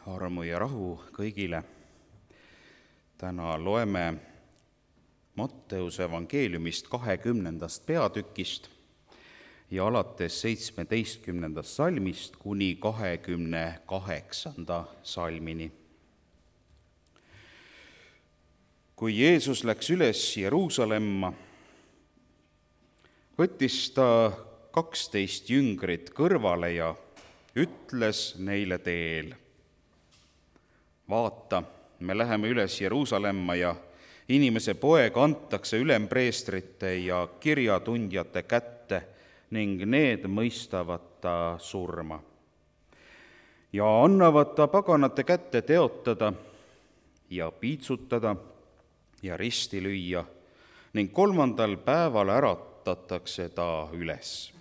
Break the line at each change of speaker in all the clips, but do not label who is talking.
armu ja rahu kõigile. Täna loeme Matteuse evangeeliumist 20. peatükist ja alates 17. salmist kuni 28. salmini. Kui Jeesus läks üles Jeruusalemma, võttis ta 12 jüngrit kõrvale ja ütles neile teel: vaata, me läheme üles Jeruusalemma ja inimese poeg antakse ülempreestrite ja kirjatundjate kätte ning need mõistavad ta surma. Ja annavad ta paganate kätte teotada ja piitsutada ja risti lüüa ning 3. päeval äratatakse ta üles.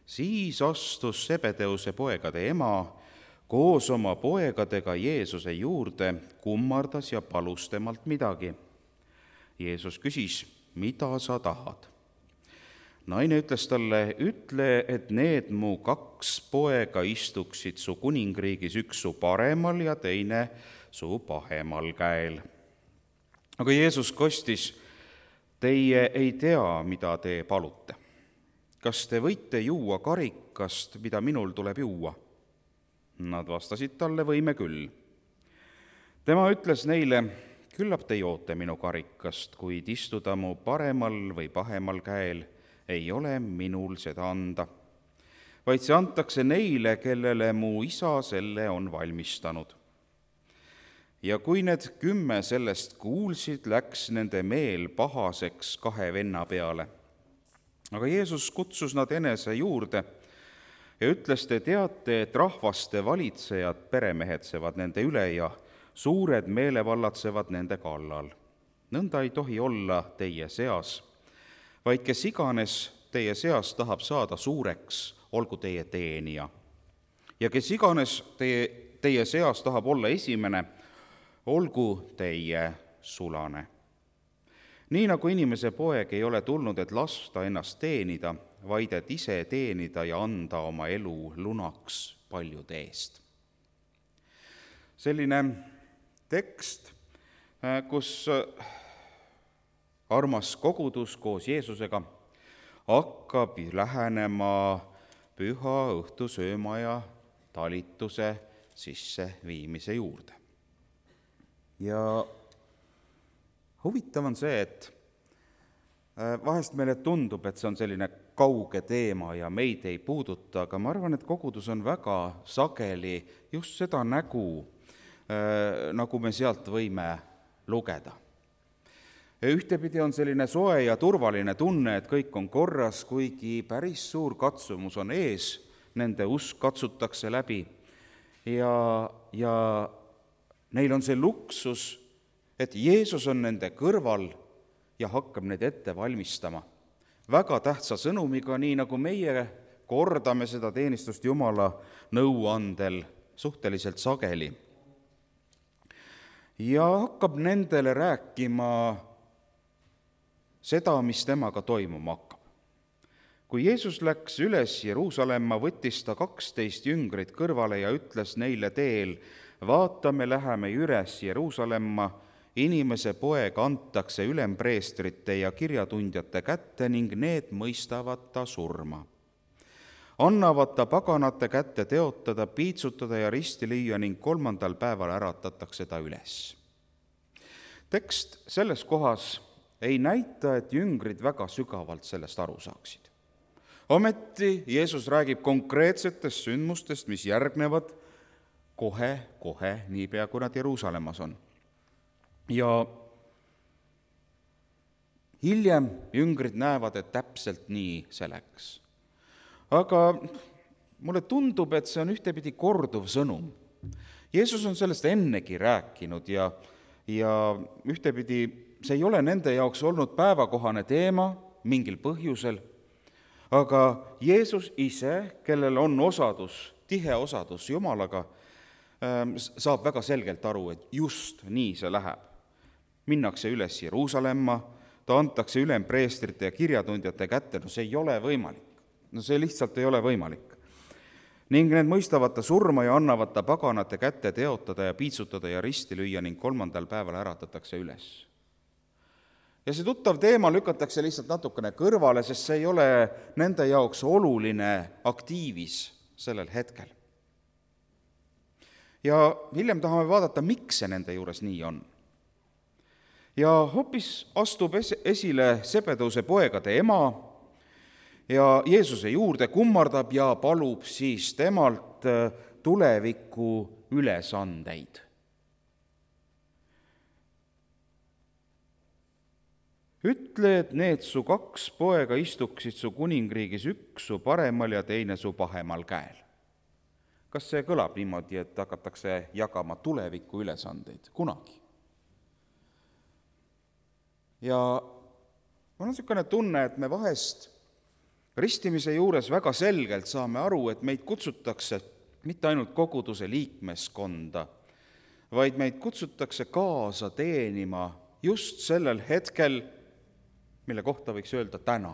Siis astus Sebedeuse poegade ema koos oma poegadega Jeesuse juurde, kummardas ja palus temalt midagi. Jeesus küsis: mida sa tahad? Naine ütles talle: ütle, et need mu 2 poega istuksid su kuningriigis, üks su paremal ja teine su pahemal käel. Aga Jeesus kostis: teie ei tea, mida te palute. Kas te võite juua karikast, mida minul tuleb juua? Nad vastasid talle: võime küll. Tema ütles neile: küllap te joote minu karikast, kuid istuda mu paremal või pahemal käel ei ole minul seda anda, vaid see antakse neile, kellele mu isa selle on valmistanud. Ja kui need 10 sellest kuulsid, läks nende meel pahaseks 2 venna peale. Aga Jeesus kutsus nad enese juurde ja ütles: te teate, et rahvaste valitsejad peremehetsevad nende üle ja suured meelevallatsevad nende kallal. Nõnda ei tohi olla teie seas, vaid kes iganes teie seas tahab saada suureks, olgu teie teenija. Ja kes iganes teie seas tahab olla esimene, olgu teie sulane. Nii nagu inimese poeg ei ole tulnud, et lasta ennast teenida, vaid et ise teenida ja anda oma elu lunaks paljude eest. Selline tekst, kus armas kogudus koos Jeesusega hakkab lähenema püha õhtusööma ja talituse sisseviimise juurde. Ja huvitav on see, et vahest meile tundub, et see on selline kauge teema ja meid ei puuduta, aga ma arvan, et kogudus on väga sageli just seda nägu, nagu me sealt võime lugeda. Ühtepidi on selline soe ja turvaline tunne, et kõik on korras, kuigi päris suur katsumus on ees, nende usk katsutakse läbi ja neil on see luksus, et Jeesus on nende kõrval ja hakkab neid ette valmistama. Väga tähtsa sõnumiga, nii nagu meie kordame seda teenistust Jumala nõuandel suhteliselt sageli. Ja hakkab nendele rääkima seda, mis temaga toimuma hakkab. Kui Jeesus läks üles Jeruusalemma, võttis ta 12 jüngrit kõrvale ja ütles neile teel: vaata, me läheme üles Jeruusalemma, inimese poeg antakse ülempreestrite ja kirjatundjate kätte ning need mõistavad ta surma. Annavad ta paganate kätte teotada, piitsutada ja risti lüüa ning 3. päeval äratatakse ta üles. Tekst selles kohas ei näita, et jüngrid väga sügavalt sellest aru saaksid. Ometi Jeesus räägib konkreetsetest sündmustest, mis järgnevad kohe, niipea kui nad Jeruusalemmas on. Ja hiljem jüngrid näevad, et täpselt nii see läks. Aga mulle tundub, et see on ühtepidi korduv sõnum. Jeesus on sellest ennegi rääkinud ja ühtepidi see ei ole nende jaoks olnud päevakohane teema mingil põhjusel, aga Jeesus ise, kellel on tihe osadus Jumalaga, saab väga selgelt aru, et just nii see läheb. Minnakse üles Jeruusalemma, ta antakse ülempreestrite ja kirjatundjate kätte, see ei ole võimalik. See lihtsalt ei ole võimalik. ning need mõistavad ta surma ja annavad ta paganate kätte teotada ja piitsutada ja risti lüüa ning 3. päeval äratatakse üles. Ja see tuttav teema lükatakse lihtsalt natukene kõrvale, sest see ei ole nende jaoks oluline aktiivis sellel hetkel. Ja hiljem tahame vaadata, miks see nende juures nii on. Ja hoopis astub esile Zebedeuse poegade ema ja Jeesuse juurde kummardab ja palub siis temalt tuleviku ülesandeid. Ütle, et need su 2 poega istuksid su kuningriigis, üks su paremal ja teine su pahemal käel. Kas see kõlab niimoodi, et hakatakse jagama tuleviku ülesandeid kunagi? Ja mul on niisugune tunne, et me vahest ristimise juures väga selgelt saame aru, et meid kutsutakse mitte ainult koguduse liikmeskonda, vaid meid kutsutakse kaasa teenima just sellel hetkel, mille kohta võiks öelda täna.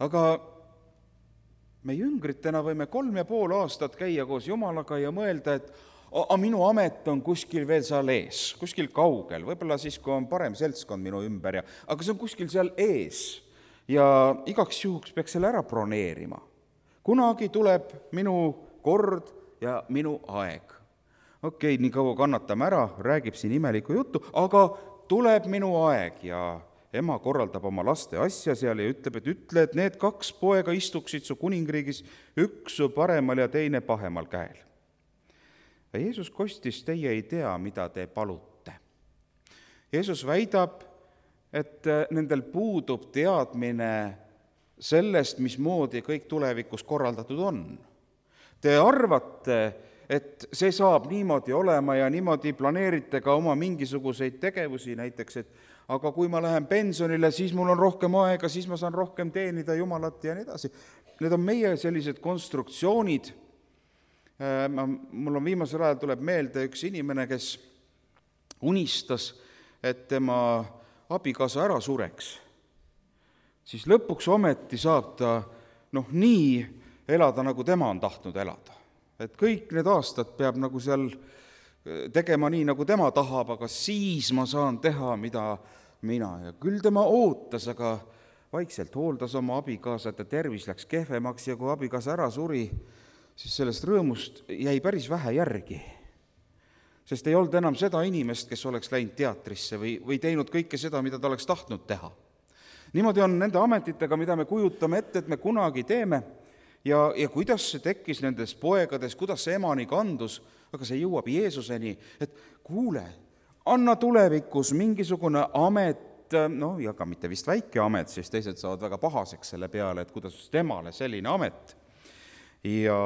Aga me jüngritena võime 3,5 aastat käia koos Jumalaga ja mõelda, et minu amet on kuskil veel seal ees, kuskil kaugel, võib-olla siis, kui on parem seltskond minu ümber, aga see on kuskil seal ees ja igaks juhuks peaks selle ära broneerima. Kunagi tuleb minu kord ja minu aeg. Okei, nii kaua kannatame ära, räägib siin imelikku juttu, aga tuleb minu aeg ja ema korraldab oma laste asja seal ja ütleb, et need 2 poega istuksid su kuningriigis, üks su paremal ja teine pahemal käel. Ja Jeesus kostis, teie ei tea, mida te palute. Jeesus väidab, et nendel puudub teadmine sellest, mismoodi kõik tulevikus korraldatud on. Te arvate, et see saab niimoodi olema ja niimoodi planeerite ka oma mingisuguseid tegevusi, näiteks, et aga kui ma lähen pensionile, siis mul on rohkem aega, siis ma saan rohkem teenida Jumalat ja nii edasi. Need on meie sellised konstruktsioonid. Mul on viimasel ajal tuleb meelde üks inimene, kes unistas, et tema abikaasa ära sureks. Siis lõpuks ometi saab ta nii elada, nagu tema on tahtnud elada. Et kõik need aastad peab nagu seal tegema nii, nagu tema tahab, aga siis ma saan teha, mida mina. Ja küll tema ootas, aga vaikselt hooldas oma abikaasat ja tervis läks kehvemaks ja kui abikaasa ära suri, siis sellest rõõmust jäi päris vähe järgi. Sest ei olnud enam seda inimest, kes oleks läinud teatrisse või teinud kõike seda, mida ta oleks tahtnud teha. Niimoodi on nende ametitega, mida me kujutame ette, et me kunagi teeme, ja kuidas see tekkis nendes poegades, kuidas see emani kandus, aga see jõuab Jeesuseni, et kuule, anna tulevikus mingisugune amet, ja ka mitte vist väike amet, siis teised saavad väga pahaseks selle peale, et kuidas temale selline amet. Ja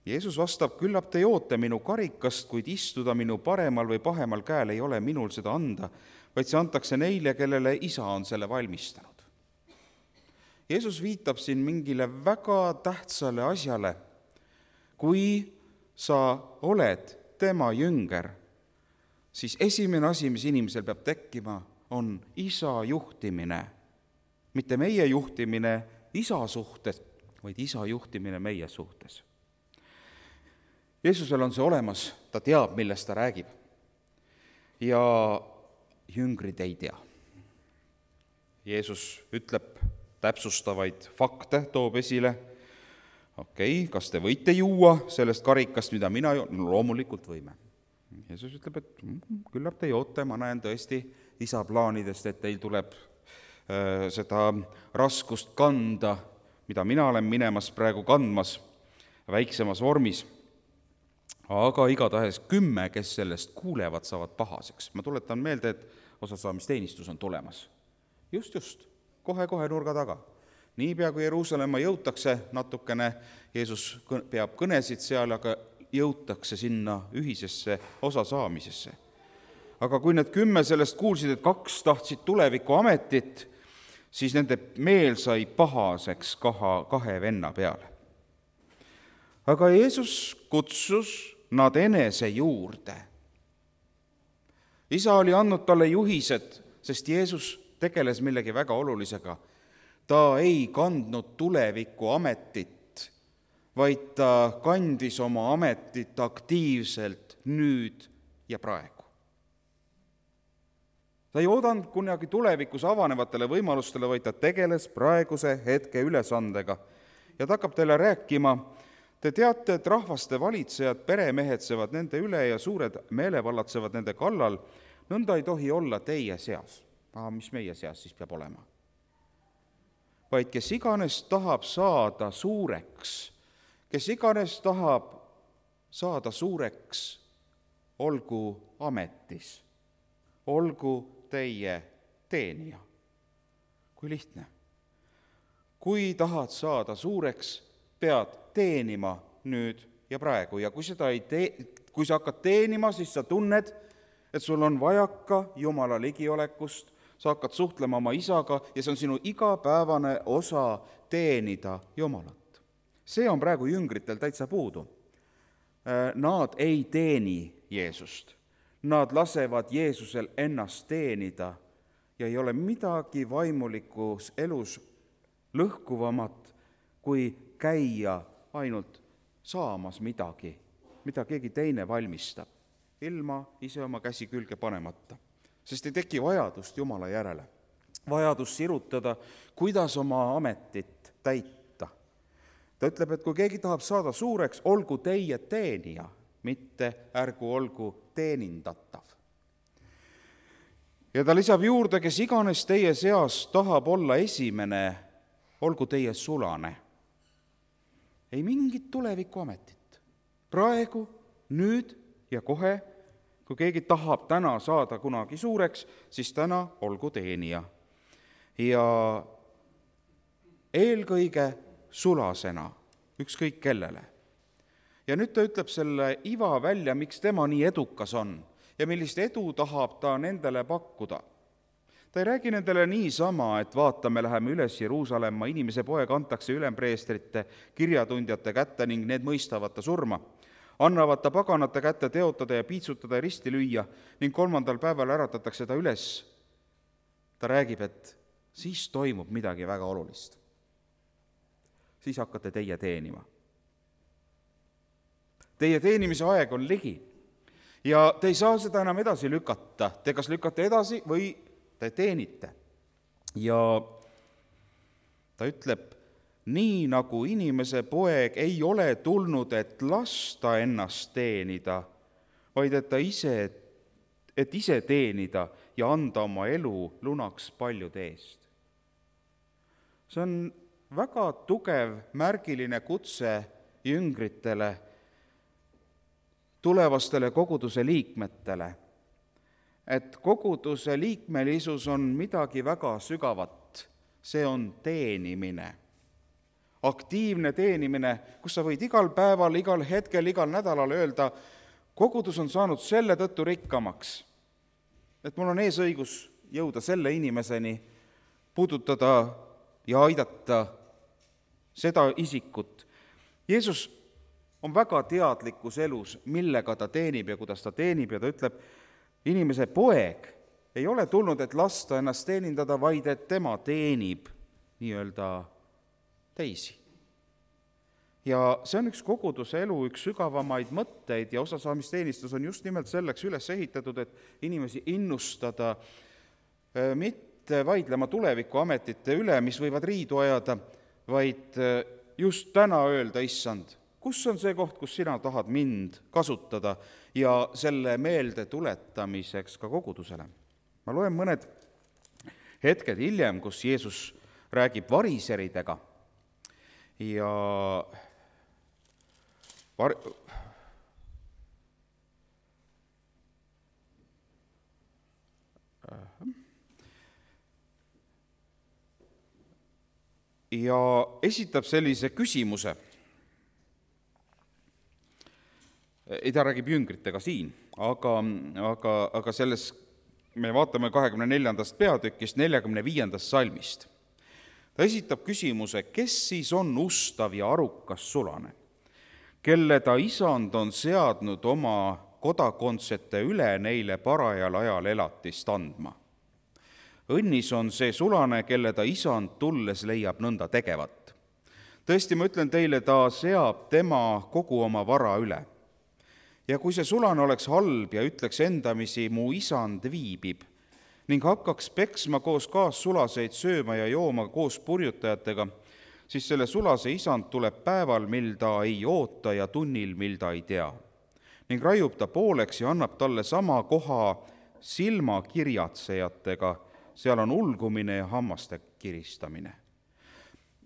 Jeesus vastab, küllap te joote minu karikast, kuid istuda minu paremal või pahemal käel ei ole minul seda anda, vaid see antakse neile, kellele isa on selle valmistanud. Jeesus viitab siin mingile väga tähtsale asjale. Kui sa oled tema jünger, siis esimene asi, mis inimesel peab tekkima, on isa juhtimine. Mitte meie juhtimine isa suhtes, vaid isa juhtimine meie suhtes. Jeesusel on see olemas, ta teab, millest ta räägib. Ja jüngrid ei tea. Jeesus ütleb täpsustavaid fakte, toob esile. Okei, kas te võite juua sellest karikast, mida mina joon? No, loomulikult võime. Jeesus ütleb, et küllap te joote, ma näen tõesti isa plaanidest, et teil tuleb seda raskust kanda, mida mina olen minemas praegu kandmas väiksemas vormis. Aga igatahes 10, kes sellest kuulevad, saavad pahaseks. Ma tuletan meelde, et osasaamisteenistus on tulemas. Just. Kohe nurga taga. Niipea kui Jeruusalemma jõutakse natukene, Jeesus peab kõnesid seal, aga jõutakse sinna ühisesse osasaamisesse. Aga kui need 10 sellest kuulsid, et 2 tahtsid tuleviku ametit, siis nende meel sai pahaseks 2 venna peale. Aga Jeesus kutsus nad enese juurde. Isa oli andnud talle juhised, sest Jeesus tegeles millegi väga olulisega. ta ei kandnud tuleviku ametit, vaid ta kandis oma ametit aktiivselt nüüd ja praegu. Ta ei oodanud kunagi tulevikus avanevatele võimalustele, vaid ta tegeles praeguse hetke ülesandega. Ja ta hakkab teile rääkima, te teate, et rahvaste valitsejad peremehedsevad nende üle ja suured meelevallatsevad nende kallal, nõnda ei tohi olla teie seas. Mis meie seas siis peab olema? Vaid kes iganes tahab saada suureks, olgu ametis, olgu teie teenija. Kui lihtne. Kui tahad saada suureks, pead teenima nüüd ja praegu. Ja kui sa hakkad teenima, siis sa tunned, et sul on vajaka Jumala ligiolekust, sa hakkad suhtlema oma isaga ja see on sinu igapäevane osa teenida Jumalat. See on praegu jüngritel täitsa puudu. Nad ei teeni Jeesust. Nad lasevad Jeesusel ennast teenida ja ei ole midagi vaimulikus elus lõhkuvamat, kui käia ainult saamas midagi, mida keegi teine valmistab, ilma ise oma käsi külge panemata. Sest ei teki vajadust Jumala järele, vajadust sirutada, kuidas oma ametit täita. Ta ütleb, et kui keegi tahab saada suureks, olgu teie teenija, mitte ärgu olgu teenindatav. Ja ta lisab juurde, kes iganes teie seas tahab olla esimene, olgu teie sulane. Ei mingit tulevikuametit. Praegu, nüüd ja kohe, kui keegi tahab täna saada kunagi suureks, siis täna olgu teenija. Ja eelkõige sulasena, ükskõik kellele. Ja nüüd ta ütleb selle iva välja, miks tema nii edukas on ja millist edu tahab ta nendele pakkuda. Ta ei räägi nendele niisama, et vaatame, läheme üles Jeruusalemma, inimese poeg antakse ülempreestrite, kirjatundjate kätte ning need mõistavad ta surma. Annavad ta paganate kätte teotada ja piitsutada ja risti lüüa ning 3. päeval äratatakse ta üles. Ta räägib, et siis toimub midagi väga olulist. Siis hakkate teie teenima. Teie teenimise aeg on ligi ja te ei saa seda enam edasi lükata. Te kas lükkate edasi või te teenite. Ja ta ütleb, nii nagu inimese poeg ei ole tulnud, et lasta ennast teenida, vaid et ise teenida ja anda oma elu lunaks paljude eest. See on väga tugev märgiline kutse jüngritele, tulevastele koguduse liikmetele, et koguduse liikmelisus on midagi väga sügavat, see on teenimine. Aktiivne teenimine, kus sa võid igal päeval, igal hetkel, igal nädalal öelda, kogudus on saanud selle tõttu rikkamaks, et mul on eesõigus jõuda selle inimeseni, puudutada ja aidata seda isikut. Jeesus on väga teadlikus elus, millega ta teenib ja kuidas ta teenib ja ta ütleb, inimese poeg ei ole tulnud, et lasta ennast teenindada, vaid et tema teenib nii-öelda teisi. Ja see on üks koguduse elu, üks sügavamaid mõtteid ja osasaamisteenistus on just nimelt selleks üles ehitatud, et inimesi innustada, mitte vaidlema tulevikuametite üle, mis võivad riidu ajada, vaid just täna öelda, issand, kus on see koht, kus sina tahad mind kasutada ja selle meelde tuletamiseks ka kogudusele. Ma loen mõned hetked hiljem, kus Jeesus räägib variseridega ja esitab sellise küsimuse. Ta räägib jüngritega siin, aga selles me vaatame 24. peatükist 45. salmist. Ta esitab küsimuse, kes siis on ustav ja arukas sulane, kelle ta isand on seadnud oma kodakondsete üle neile parajal ajal elatist andma. õnnis on see sulane, kelle ta isand tulles leiab nõnda tegevat. Tõesti, ma ütlen teile, ta seab tema kogu oma vara üle. Ja kui see sulane oleks halb ja ütleks endamisi, mu isand viibib, ning hakkaks peksma koos kaassulaseid, sööma ja jooma koos purjutajatega, siis selle sulase isand tuleb päeval, mil ta ei oota, ja tunnil, mil ta ei tea. Ning raiub ta pooleks ja annab talle sama koha silmakirjatsejatega, seal on ulgumine ja hammaste kiristamine.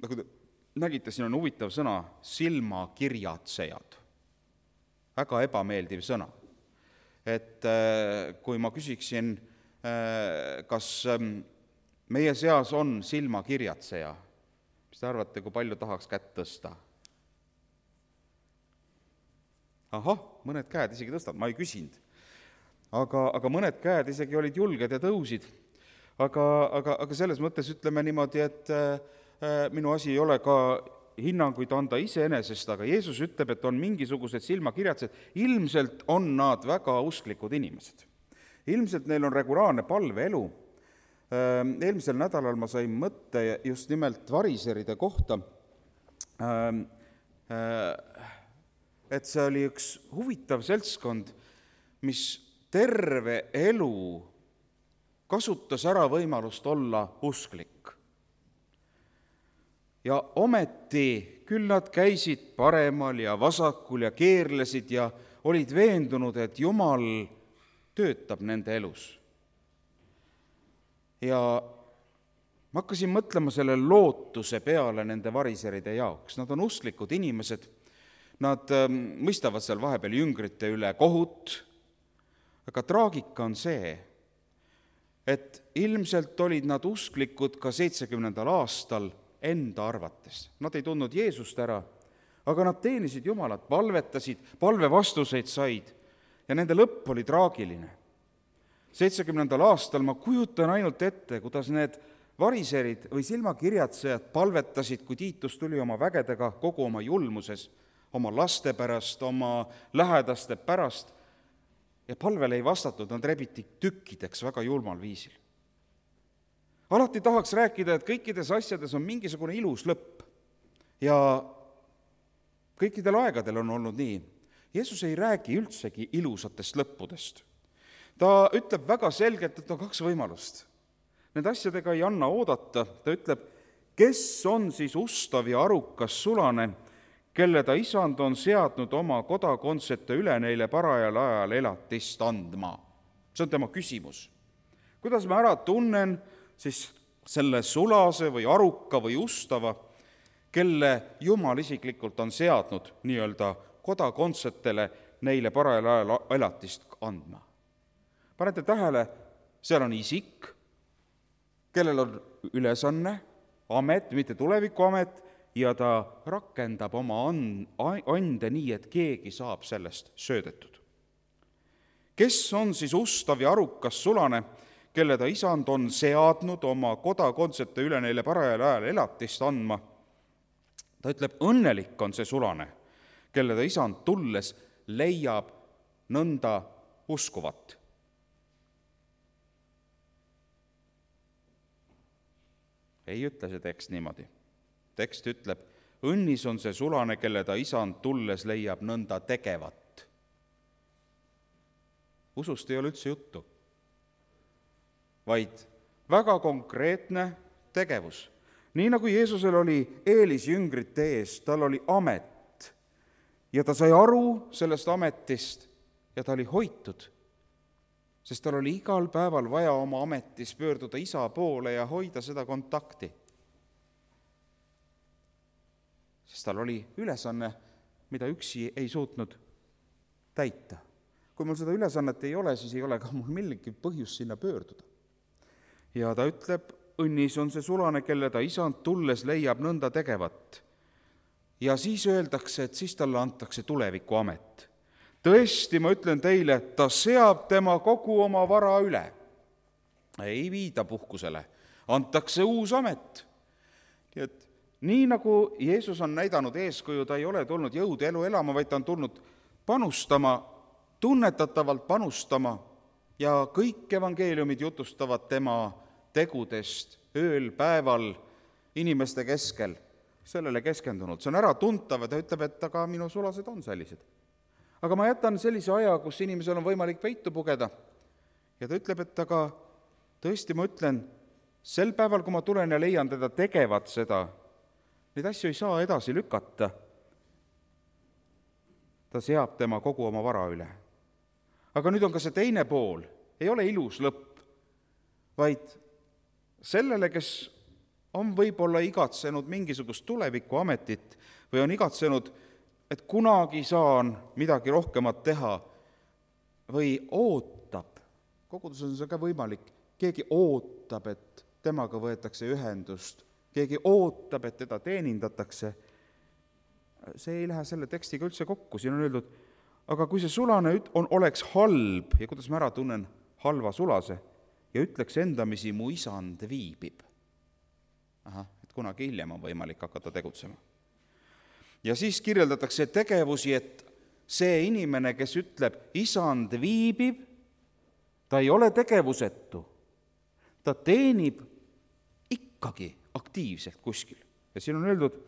Nagu te nägite, siin on huvitav sõna, silmakirjatsejad. Väga ebameeldiv sõna. Et kui ma küsiksin, kas meie seas on silmakirjatseja, mis te arvate, kui palju tahaks kätt tõsta? Ahah, mõned käed isegi tõstavad, ma ei küsinud. Aga mõned käed isegi olid julged ja tõusid. Aga selles mõttes ütleme niimoodi, et minu asi ei ole ka hinnanguid anda iseenesest, aga Jeesus ütleb, et on mingisugused silmakirjatsed. Ilmselt on nad väga usklikud inimesed. Ilmselt neil on regulaarne palveelu. Eelmisel nädalal ma sain mõtte just nimelt variseride kohta, et see oli üks huvitav seltskond, mis terve elu kasutas ära võimalust olla usklik. Ja ometi küll nad käisid paremal ja vasakul ja keerlesid ja olid veendunud, et Jumal töötab nende elus. Ja ma hakkasin mõtlema selle lootuse peale nende variseride jaoks. Nad on usklikud inimesed, nad mõistavad seal vahepeal jüngrite üle kohut, aga traagika on see, et ilmselt olid nad usklikud ka 70. aastal enda arvates. Nad ei tundnud Jeesust ära, aga nad teenisid Jumalat, palvetasid, palvevastuseid said ja nende lõpp oli traagiline. 70. aastal ma kujutan ainult ette, kuidas need variserid või silmakirjatsejad palvetasid, kui Tiitus tuli oma vägedega kogu oma julmuses, oma laste pärast, oma lähedaste pärast, ja palvele ei vastatud, nad rebiti tükkideks väga julmal viisil. Alati tahaks rääkida, et kõikides asjades on mingisugune ilus lõpp ja kõikidel aegadel on olnud nii. Jeesus ei räägi üldsegi ilusatest lõppudest. Ta ütleb väga selgelt, et on kaks võimalust. Need asjadega ei anna oodata. Ta ütleb, kes on siis ustav ja arukas sulane, kelle ta isand on seadnud oma kodakondsete üle neile parajal ajal elatist andma. See on tema küsimus. Kuidas ma ära tunnen siis selle sulase või aruka või ustava, kelle Jumal isiklikult on seadnud nii-öelda kodakondsetele neile parajal ajal elatist andma. Panete tähele, seal on isik, kellel on ülesanne, amet, mitte tulevikuamet, ja ta rakendab oma ande nii, et keegi saab sellest söödetud. Kes on siis ustav ja arukas sulane, kelle ta isand on seadnud oma kodakondsete üle neile parajal ajal elatist andma? Ta ütleb, õnnelik on see sulane, kelle ta isand tulles leiab nõnda uskuvat. Ei ütle see tekst niimoodi. Tekst ütleb, õnnis on see sulane, kelle ta isand tulles leiab nõnda tegevat. Usust ei ole üldse juttu, vaid väga konkreetne tegevus. Nii nagu Jeesusel oli eelis jüngrite ees, tal oli amet ja ta sai aru sellest ametist ja ta oli hoitud, sest tal oli igal päeval vaja oma ametis pöörduda isa poole ja hoida seda kontakti. Sest tal oli ülesanne, mida üksi ei suutnud täita. Kui mul seda ülesannet ei ole, siis ei ole ka mul millegi põhjus sinna pöörduda. Ja ta ütleb, õnnis on see sulane, kelle ta isand tulles leiab nõnda tegevat. Ja siis öeldakse, et siis talle antakse tuleviku amet. Tõesti, ma ütlen teile, ta seab tema kogu oma vara üle. Ei viida puhkusele, antakse uus amet. Nii nagu Jeesus on näidanud eeskuju, ta ei ole tulnud jõudu elu elama, vaid ta on tulnud panustama, tunnetatavalt panustama ja kõik evangeeliumid jutustavad tema tegudest ööl, päeval, inimeste keskel, sellele keskendunud. See on äratuntav ja ta ütleb, et aga minu sulased on sellised. Aga ma jätan sellise aja, kus inimesel on võimalik peitu pugeda. Ja ta ütleb, et aga tõesti ma ütlen, sel päeval, kui ma tulen ja leian teda tegevat seda, neid asju ei saa edasi lükata. Ta seab tema kogu oma vara üle. Aga nüüd on ka see teine pool, ei ole ilus lõpp, vaid sellele, kes on võib-olla igatsenud mingisugust tulevikuametit või on igatsenud, et kunagi saan midagi rohkemat teha või ootab, koguduses on see ka võimalik, keegi ootab, et temaga võetakse ühendust, keegi ootab, et teda teenindatakse, see ei lähe selle tekstiga üldse kokku, siin on öeldud, aga kui see sulane oleks halb ja kuidas ma ära tunnen halva sulase ja ütleks endamisi, mu isand viibib. Et kunagi hiljem on võimalik hakata tegutsema. Ja siis kirjeldatakse tegevusi, et see inimene, kes ütleb, isand viibib, ta ei ole tegevusetu. Ta teenib ikkagi aktiivselt kuskil. Ja siin on öeldud,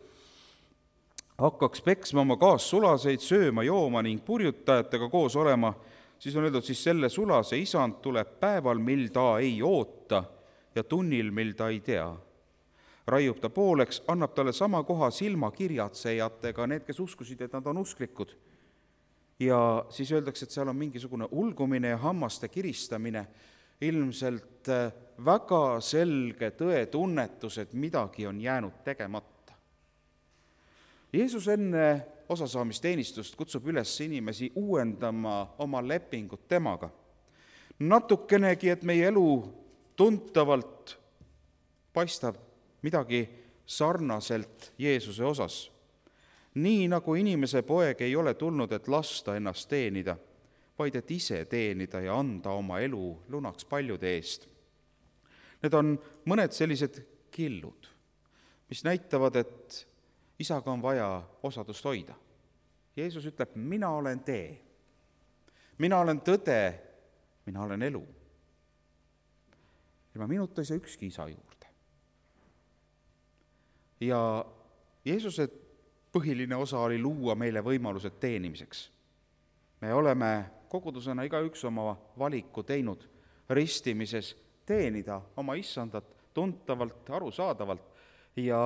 hakkaks peksma oma kaassulaseid, sööma, jooma ning purjutajatega koos olema, siis on öeldud, siis selle sulase isand tuleb päeval, mil ta ei oota ja tunnil, mil ta ei tea. Raiub ta pooleks, annab talle sama koha silmakirjatsejatega, need, kes uskusid, et nad on usklikud. Ja siis öeldakse, et seal on mingisugune ulgumine ja hammaste kiristamine, ilmselt väga selge tõetunnetus, et midagi on jäänud tegemata. Jeesus enne osasaamisteenistust kutsub üles inimesi uuendama oma lepingut temaga. Natukenegi, et meie elu tuntavalt paistab midagi sarnaselt Jeesuse osas. Nii nagu inimese poeg ei ole tulnud, et lasta ennast teenida, vaid et ise teenida ja anda oma elu lunaks paljude eest. Need on mõned sellised killud, mis näitavad, et isaga on vaja osadust hoida. Jeesus ütleb, mina olen tee, mina olen tõde, mina olen elu. Ilma minuta ei saa ükski isa juurde. Ja Jeesuse põhiline osa oli luua meile võimalused teenimiseks. Me oleme kogudusena igaüks oma valiku teinud ristimises teenida oma issandat tuntavalt, arusaadavalt ja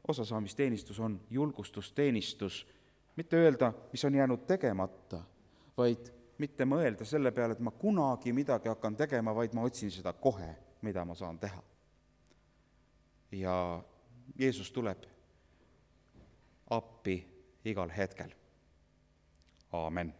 osasaamisteenistus on julgustusteenistus. Mitte öelda, mis on jäänud tegemata, vaid mitte mõelda selle peale, et ma kunagi midagi hakkan tegema, vaid ma otsin seda kohe, mida ma saan teha. Ja Jeesus tuleb appi igal hetkel. Aamen.